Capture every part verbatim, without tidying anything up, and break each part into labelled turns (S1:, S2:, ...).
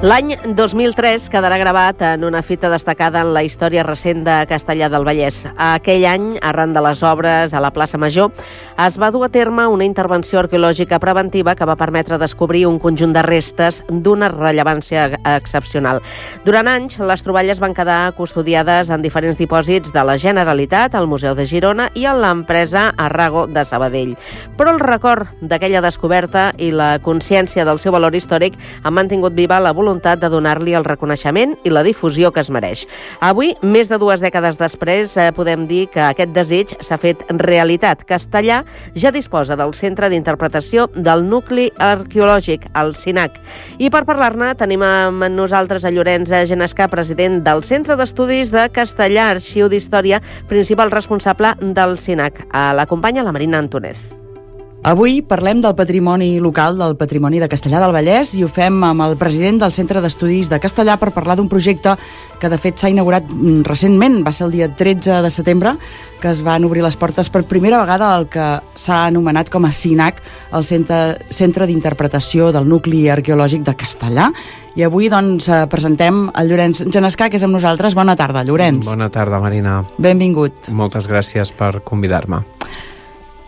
S1: L'any dos mil tres quedarà gravat en una fita destacada en la història recent de Castellar del Vallès. Aquell any, arran de les obres a la plaça Major, es va dur a terme una intervenció arqueològica preventiva que va permetre descobrir un conjunt de restes d'una rellevància excepcional. Durant anys, les troballes van quedar custodiades en diferents dipòsits de la Generalitat, al Museu de Girona i a l'empresa Arrago de Sabadell. Però el record d'aquella descoberta i la consciència del seu valor històric han mantingut viva la voluntat de donar-li el reconeixement i la difusió que es mereix. Avui, més de dues dècades després, eh, podem dir que aquest desig s'ha fet realitat. Castellar ja disposa del Centre d'Interpretació del Nucli Arqueològic, el CINAC. I per parlar-ne tenim amb nosaltres a Llorenç Genescà, president del Centre d'Estudis de Castellar, Arxiu d'Història, principal responsable del CINAC. L'acompanya la Marina Antúnez.
S2: Avui parlem del patrimoni local, del patrimoni de Castellar del Vallès, i ho fem amb el president del Centre d'Estudis de Castellar per parlar d'un projecte que de fet s'ha inaugurat recentment. Va ser el dia tretze de setembre que es van obrir les portes per primera vegada al que s'ha anomenat com a CINAC, el Centre, Centre d'Interpretació del Nucli Arqueològic de Castellar. I avui doncs presentem el Llorenç Genescà, que és amb nosaltres. Bona tarda, Llorenç.
S3: Bona tarda, Marina.
S2: Benvingut.
S3: Moltes gràcies per convidar-me.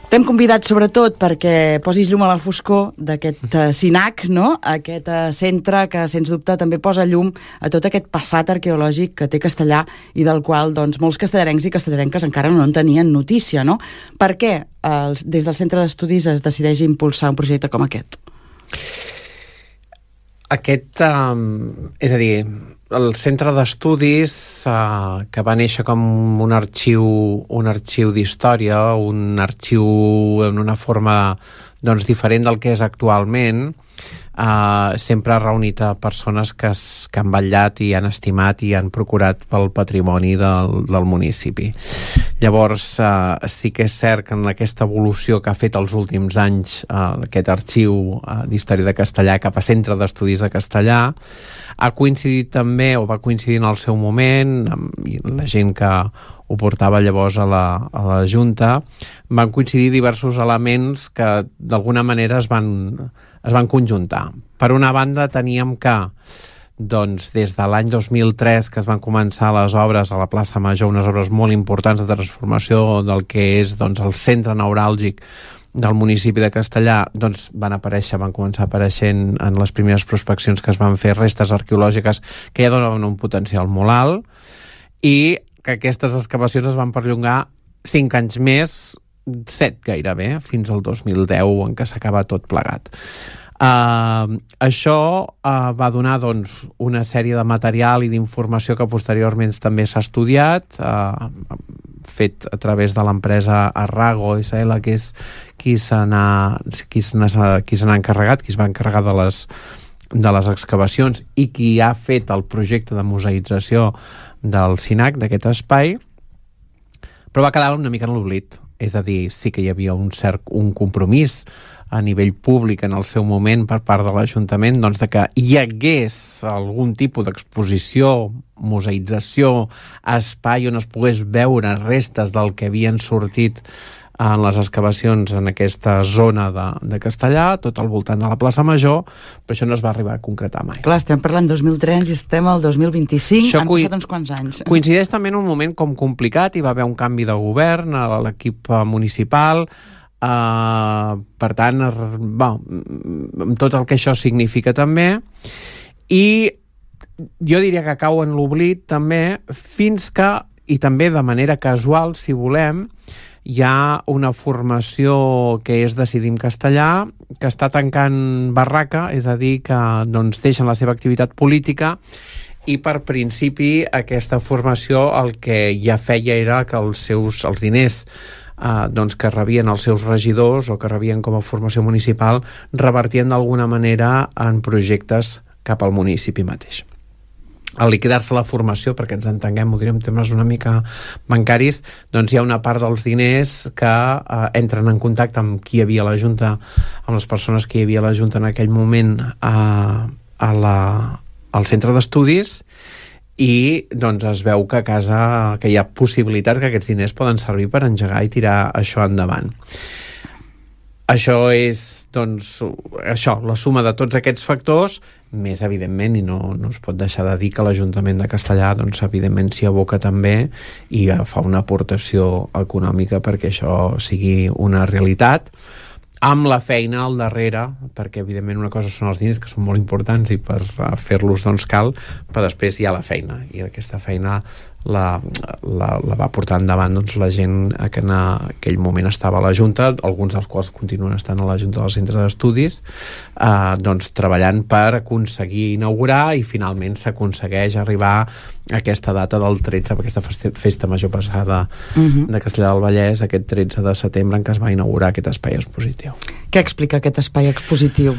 S2: T'hem convidat sobretot perquè posis llum a la foscor d'aquest uh, CINAC, no? Aquest uh, centre que, sens dubte, també posa llum a tot aquest passat arqueològic que té Castellar i del qual doncs, molts castellarencs i castellarenques encara no en tenien notícia, no? Per què uh, des del Centre d'Estudis es decideix impulsar un projecte com aquest?
S3: Aquest, um, és a dir, el Centre d'Estudis, uh, que va néixer com un arxiu, un arxiu d'història, un arxiu en una forma doncs, diferent del que és actualment, uh, sempre ha reunit a persones que, es, que han vetllat i han estimat i han procurat pel patrimoni del, del municipi. Llavors, uh, sí que és cert que en aquesta evolució que ha fet els últims anys uh, aquest arxiu uh, d'història de Castellar cap a Centre d'Estudis de Castellar, ha coincidit també, o va coincidir en el seu moment, amb la gent que ho portava llavors a la, a la Junta, van coincidir diversos elements que d'alguna manera es van, es van conjuntar. Per una banda, teníem que doncs, des de l'any dos mil tres, que es van començar les obres a la plaça Major, unes obres molt importants de transformació del que és doncs, el centre neuràlgic del municipi de Castellar, doncs van aparèixer, van començar apareixent en les primeres prospeccions que es van fer restes arqueològiques que ja donaven un potencial molt alt, i que aquestes excavacions es van perllongar cinc anys més, set gairebé, fins al dos mil deu, en què s'acaba tot plegat. Uh, això uh, va donar doncs, una sèrie de material i d'informació que posteriorment també s'ha estudiat, uh, fet a través de l'empresa Arrago S L, que és qui se n'ha qui se n'ha qui se n'ha encarregat, qui es va encarregar de les, de les excavacions i qui ha fet el projecte de museïtzació del CINAC, d'aquest espai, però va quedar una mica en l'oblit. És a dir, sí que hi havia un cert un compromís a nivell públic en el seu moment per part de l'Ajuntament, doncs de que hi hagués algun tipus d'exposició, museïtzació, espai on es pogués veure restes del que havien sortit en les excavacions en aquesta zona de, de Castellar, tot al voltant de la plaça Major, però això no es va arribar a concretar mai.
S2: Clar, estem parlant dos mil tres i estem al dos mil vint-i-cinc,
S3: això
S2: han
S3: coi...
S2: passat uns quants anys.
S3: Coincideix també en un moment com complicat, hi va haver un canvi de govern a l'equip municipal, Uh, per tant, bon, amb tot el que això significa també, i jo diria que cau en l'oblit també fins que, i també de manera casual, si volem, hi ha una formació que és Decidim Castellar, que està tancant barraca, és a dir, que doncs, deixen la seva activitat política, i per principi aquesta formació el que ja feia era que els seus els diners Uh, doncs que rebien els seus regidors o que rebien com a formació municipal revertien d'alguna manera en projectes cap al municipi mateix. Al liquidar-se la formació, perquè ens entenguem, ho direm en termes una mica bancaris, doncs hi ha una part dels diners que uh, entren en contacte amb qui hi havia a la Junta, amb les persones que hi havia a la Junta en aquell moment uh, a la, al centre d'estudis, i doncs es veu que a casa que hi ha possibilitats que aquests diners poden servir per engegar i tirar això endavant. això és, doncs, això, la suma de tots aquests factors, més, evidentment, i no, no es pot deixar de dir que l'Ajuntament de Castellar, doncs, evidentment, s'hi aboca també i fa una aportació econòmica perquè això sigui una realitat, amb la feina al darrere, perquè evidentment una cosa són els diners, que són molt importants i per fer-los doncs cal, però després hi ha la feina, i aquesta feina la, la, la va portar endavant doncs, la gent que en aquell moment estava a la Junta, alguns dels quals continuen estant a la Junta del Centre d'Estudis, eh, doncs treballant per aconseguir inaugurar, i finalment s'aconsegueix arribar a aquesta data del tretze, aquesta festa major passada uh-huh. de Castellar del Vallès, aquest tretze de setembre, en què es va inaugurar aquest espai expositiu.
S2: Què explica aquest espai expositiu?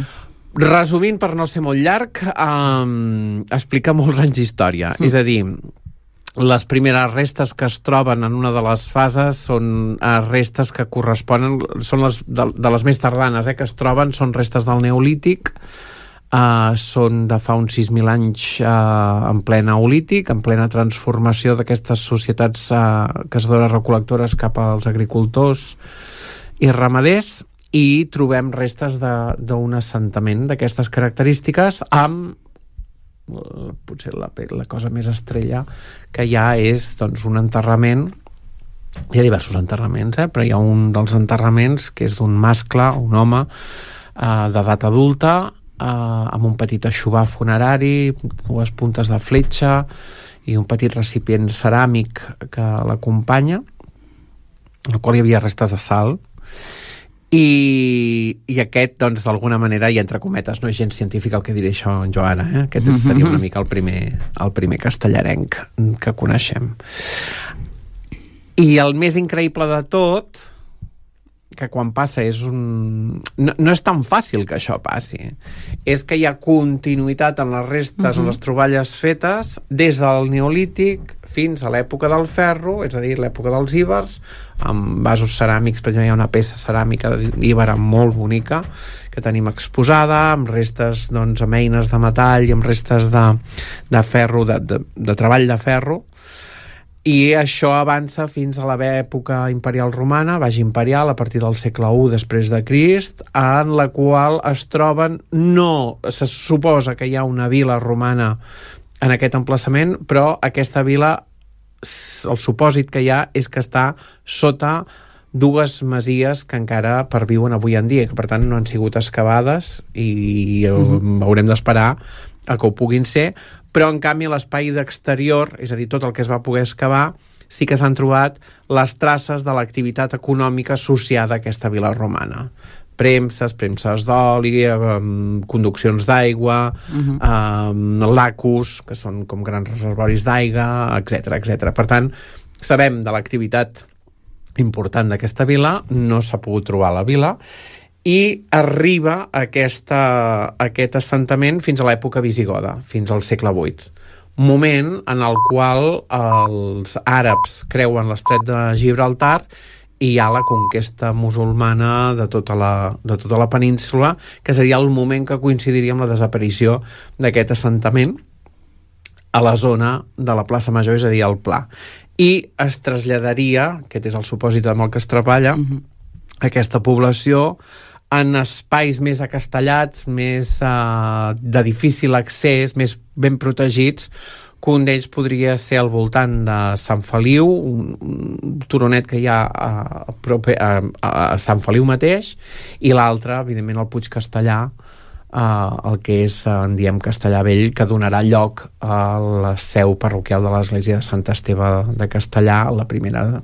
S3: Resumint, per no ser molt llarg, um, explica molts anys d'història. Mm. És a dir, les primeres restes que es troben en una de les fases són uh, restes que corresponen, són les de, de les més tardanes eh, que es troben, són restes del Neolític, uh, són de fa uns sis mil anys uh, en ple Neolític, en plena transformació d'aquestes societats uh, caçadores-recol·lectores cap als agricultors i ramaders, i trobem restes d'un assentament d'aquestes característiques amb uh, potser la, la cosa més estrella que hi ha és doncs, un enterrament. Hi ha diversos enterraments, eh? Però hi ha un dels enterraments que és d'un mascle, un home uh, d'edat adulta, uh, amb un petit aixovar funerari, dues puntes de fletxa i un petit recipient ceràmic que l'acompanya, en el qual hi havia restes de sal. I, i aquest, doncs, d'alguna manera, i entre cometes, no és gens científic el que diré això jo ara, eh? Aquest mm-hmm. seria una mica el primer, el primer castellarenc que coneixem. I el més increïble de tot, que quan passa és un... No, no és tan fàcil que això passi. És que hi ha continuïtat en les restes, mm-hmm. en les troballes fetes, des del Neolític fins a l'època del ferro, és a dir, l'època dels íbers, amb vasos ceràmics. Per exemple, hi ha una peça ceràmica d'íbera molt bonica que tenim exposada, amb restes, doncs, amb eines de metall i amb restes de, de ferro, de, de, de treball de ferro. I això avança fins a l'època imperial romana, baix imperial, a partir del segle u després de Crist, en la qual es troben, no se suposa que hi ha una vila romana en aquest emplaçament, però aquesta vila, el supòsit que hi ha és que està sota dues masies que encara perviuen avui en dia, que per tant no han sigut excavades i mm-hmm. haurem d'esperar a que ho puguin ser, però en canvi l'espai d'exterior, és a dir, tot el que es va poder excavar, sí que s'han trobat les traces de l'activitat econòmica associada a aquesta vila romana. Premses, premses d'oli, um, conduccions d'aigua, uh-huh. um, lacus, que són com grans reservoris d'aigua, etcètera, etcètera. Per tant, sabem de l'activitat important d'aquesta vila, no s'ha pogut trobar a la vila, i arriba aquesta, aquest assentament fins a l'època visigoda, fins al segle vuit. Moment en el qual els àrabs creuen l'estret de Gibraltar i hi ha la conquesta musulmana de tota la, de tota la península, que seria el moment que coincidiria amb la desaparició d'aquest assentament a la zona de la plaça Major, és a dir, al Pla. I es traslladaria, aquest és el supòsit amb el que es treballa, uh-huh. aquesta població en espais més acastellats, més uh, de difícil accés, més ben protegits, que un d'ells podria ser al voltant de Sant Feliu, un, un turonet que hi ha a, a, a, a Sant Feliu mateix, i l'altre, evidentment, el Puig Castellar, uh, el que és, uh, en diem, Castellar Vell, que donarà lloc a la seu parroquial de l'església de Sant Esteve de Castellar, la primera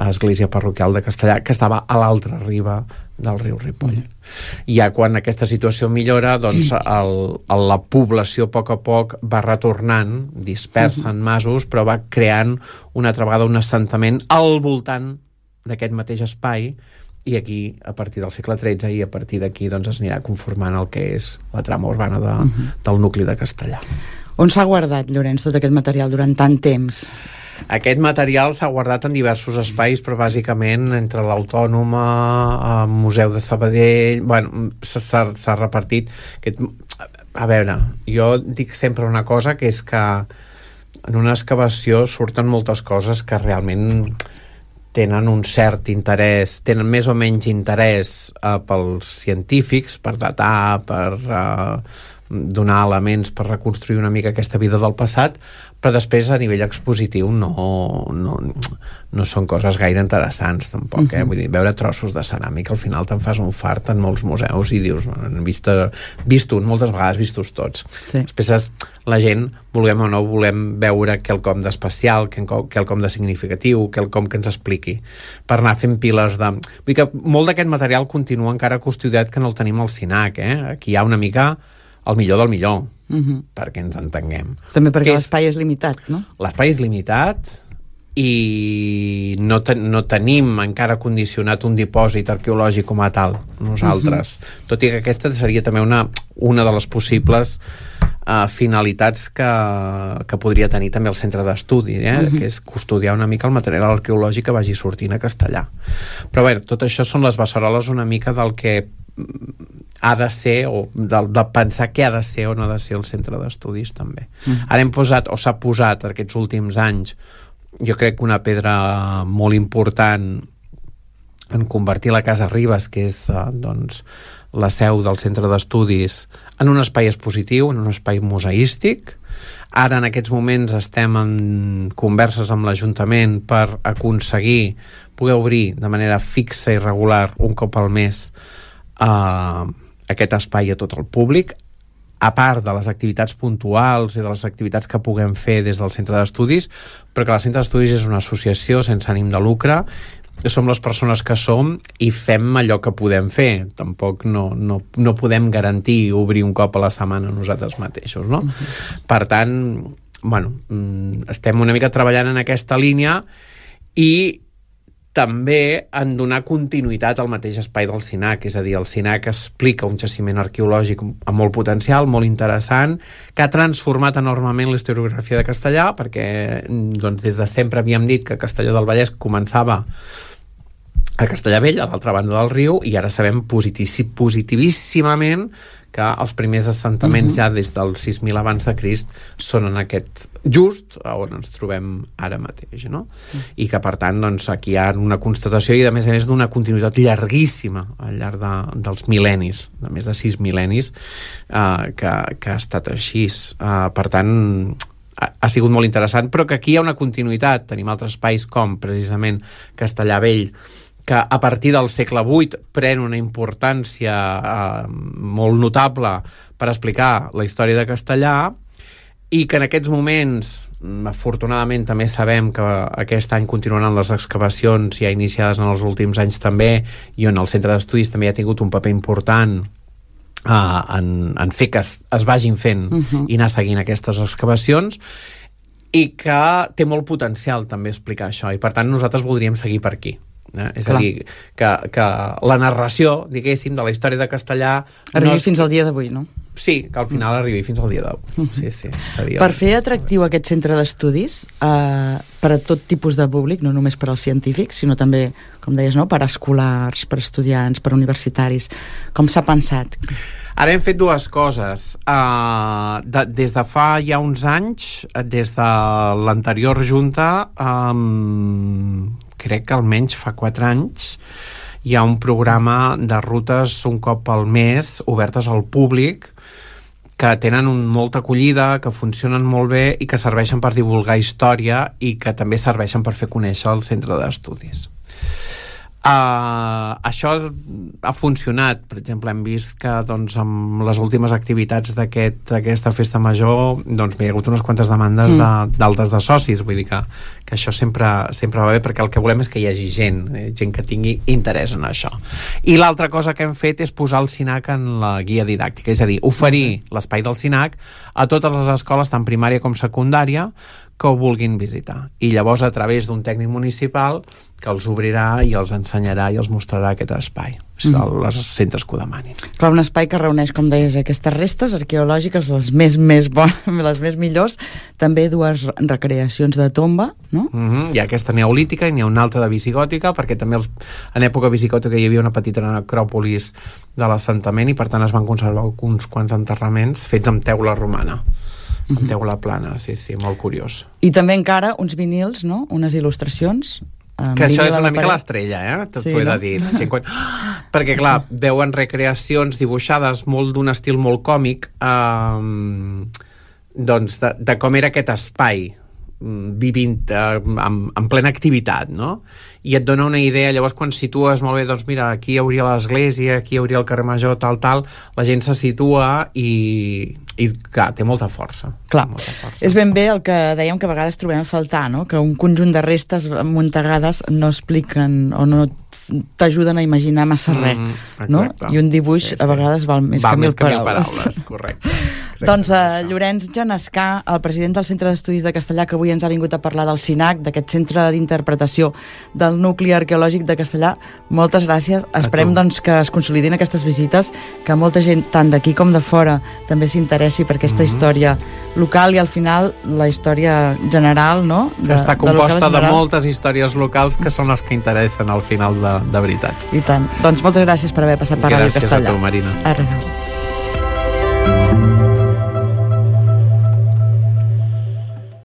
S3: església parroquial de Castellar, que estava a l'altra riba del riu Ripoll. Mm. Ja quan aquesta situació millora, doncs el, el, la població a poc a poc va retornant, dispersa en masos, però va creant una altra vegada un assentament al voltant d'aquest mateix espai, i aquí, a partir del segle tretze, i a partir d'aquí doncs, es anirà conformant el que és la trama urbana de, mm-hmm. del nucli de Castellar.
S2: On s'ha guardat, Llorenç, tot aquest material durant tant temps?
S3: Aquest material s'ha guardat en diversos espais, però bàsicament entre l'Autònoma, el Museu de Sabadell, bueno, s'ha repartit. Aquest... A veure, jo dic sempre una cosa, que és que en una excavació surten moltes coses que realment tenen un cert interès, tenen més o menys interès uh, pels científics, per datar, per uh, donar elements per reconstruir una mica aquesta vida del passat, però després a nivell expositiu no, no, no són coses gaire interessants tampoc, eh? Uh-huh. Vull dir, veure trossos de ceràmica al final te'n fas un fart en molts museus i dius, han vist, vist un, moltes vegades vistos tots. Sí. Després la gent, volem o no volem veure quelcom d'especial, quelcom de significatiu, quelcom que ens expliqui, per anar fent piles de... Vull dir que molt d'aquest material continua encara custodiat, que no el tenim al SINAC, eh? Aquí hi ha una mica el millor del millor, uh-huh. perquè ens entenguem.
S2: També perquè l'espai és limitat, no?
S3: L'espai és limitat i no, ten, no tenim encara condicionat un dipòsit arqueològic com a tal, nosaltres. Uh-huh. Tot i que aquesta seria també una, una de les possibles uh, finalitats que, que podria tenir també el centre d'estudi, eh? Uh-huh. que és custodiar una mica el material arqueològic que vagi sortint a Castellar. Però bé, tot això són les beceroles una mica del que ha de ser, o de, de pensar què ha de ser o no ha de ser el centre d'estudis també. Mm. Ara hem posat, o s'ha posat aquests últims anys, jo crec que una pedra molt important en convertir la Casa Ribes, que és eh, doncs, la seu del centre d'estudis, en un espai expositiu, en un espai museístic. Ara en aquests moments estem en converses amb l'Ajuntament per aconseguir poder obrir de manera fixa i regular un cop al mes Uh, aquest espai a tot el públic, a part de les activitats puntuals i de les activitats que puguem fer des del centre d'estudis, però que el centre d'estudis és una associació sense ànim de lucre, som les persones que som i fem allò que podem fer. Tampoc no, no, no podem garantir obrir un cop a la setmana nosaltres mateixos, no? Uh-huh. Per tant, bueno, estem una mica treballant en aquesta línia i també en donar continuïtat al mateix espai del SINAC, és a dir, el SINAC explica un jaciment arqueològic amb molt potencial, molt interessant, que ha transformat enormement la historiografia de Castellar, perquè doncs, des de sempre havíem dit que Castellar del Vallès començava a Castellar Vell, a l'altra banda del riu, i ara sabem positivíssimament que els primers assentaments uh-huh. ja des del sis mil abans de Crist són en aquest just on ens trobem ara mateix, no? Uh-huh. I que per tant doncs, aquí hi ha una constatació i a més a més d'una continuïtat llarguíssima al llarg de, dels mil·lennis, de més de sis mil·lennis uh, que, que ha estat així. Uh, per tant ha, ha sigut molt interessant, però que aquí hi ha una continuïtat. Tenim altres espais com precisament Castellar Vell, que a partir del segle vuit pren una importància eh, molt notable per explicar la història de Castellar i que en aquests moments, afortunadament també sabem que aquest any continuaran les excavacions ja iniciades en els últims anys també, i on el centre d'estudis també ha tingut un paper important eh, en, en fer que es, es vagin fent uh-huh. i anar seguint aquestes excavacions, i que té molt potencial també explicar això, i per tant nosaltres voldríem seguir per aquí. Eh? És Clar. a dir, que, que la narració, diguéssim, de la història de Castellar
S2: arribi no és... fins al dia d'avui, no?
S3: Sí, que al final mm. arribi fins al dia d'avui. Mm-hmm. Sí, sí, seria...
S2: Per fer atractiu aquest centre d'estudis eh, per a tot tipus de públic, no només per als científics, sinó també, com deies, no? per a escolars, per a estudiants, per a universitaris, com s'ha pensat?
S3: Ara hem fet dues coses. Uh, de, des de fa ja uns anys, des de l'anterior junta, um, crec que almenys fa quatre anys, hi ha un programa de rutes un cop al mes obertes al públic que tenen un, molta acollida, que funcionen molt bé i que serveixen per divulgar història i que també serveixen per fer conèixer el centre d'estudis. Uh, això ha funcionat. Per exemple, hem vist que doncs, amb les últimes activitats d'aquesta aquest, festa major doncs, hi ha hagut unes quantes demandes mm. d'altes de, de socis, vull dir que, que això sempre, sempre va bé, perquè el que volem és que hi hagi gent, eh, gent que tingui interès en això. I l'altra cosa que hem fet és posar el SINAC en la guia didàctica, és a dir, oferir mm. l'espai del SINAC a totes les escoles, tant primària com secundària, que ho vulguin visitar. I llavors, a través d'un tècnic municipal que els obrirà i els ensenyarà i els mostrarà aquest espai, mm. als centres que ho demanin.
S2: Clar, un espai que reuneix, com deies, aquestes restes arqueològiques, les més, més bones, les més millors, també dues recreacions de tomba, no?
S3: Mm-hmm. Hi ha aquesta neolítica i n'hi ha una altra de visigòtica, perquè també els, en època visigòtica hi havia una petita necròpolis de l'assentament i per tant es van conservar uns quants enterraments fets amb teula romana. amb uh-huh. teula plana, sí, sí, molt curiós.
S2: I també encara uns vinils, no? Unes il·lustracions Uh,
S3: que això és
S2: Marília
S3: una
S2: de
S3: mica
S2: Paret.
S3: l'estrella, eh? T'ho
S2: Sí,
S3: he de
S2: no?
S3: dir. Sí, quan... Perquè, clar, veuen recreacions dibuixades molt d'un estil molt còmic, eh, doncs, de, de com era aquest espai vivint eh, en, en plena activitat, no? I et dona una idea, llavors quan situes molt bé, doncs mira, aquí hi hauria l'església, aquí hi hauria el carrer Major, tal, tal, la gent se situa i, i clar, té molta força.
S2: Clar,
S3: molta força.
S2: és ben bé el que dèiem que a vegades trobem a faltar, no? Que un conjunt de restes amuntegades no expliquen o no t'ajuden a imaginar massa res,
S3: mm,
S2: no? I un dibuix
S3: sí, sí.
S2: a vegades val més
S3: val
S2: que mil
S3: més que mil
S2: paraules.
S3: paraules. Correcte.
S2: Doncs uh, Llorenç Genescà, el president del Centre d'Estudis de Castellà, que avui ens ha vingut a parlar del CINAC, d'aquest centre d'interpretació del nucli arqueològic de Castellà, moltes gràcies. Esperem doncs, que es consolidin aquestes visites, que molta gent, tant d'aquí com de fora, també s'interessi per aquesta mm-hmm. història local i al final la història general, no?
S3: De, està composta de, de moltes històries locals que són les que interessen al final de, de veritat.
S2: I tant. Doncs moltes gràcies per haver passat per Ràdio Castellà.
S3: Gràcies a tu, Marina.
S2: Adéu.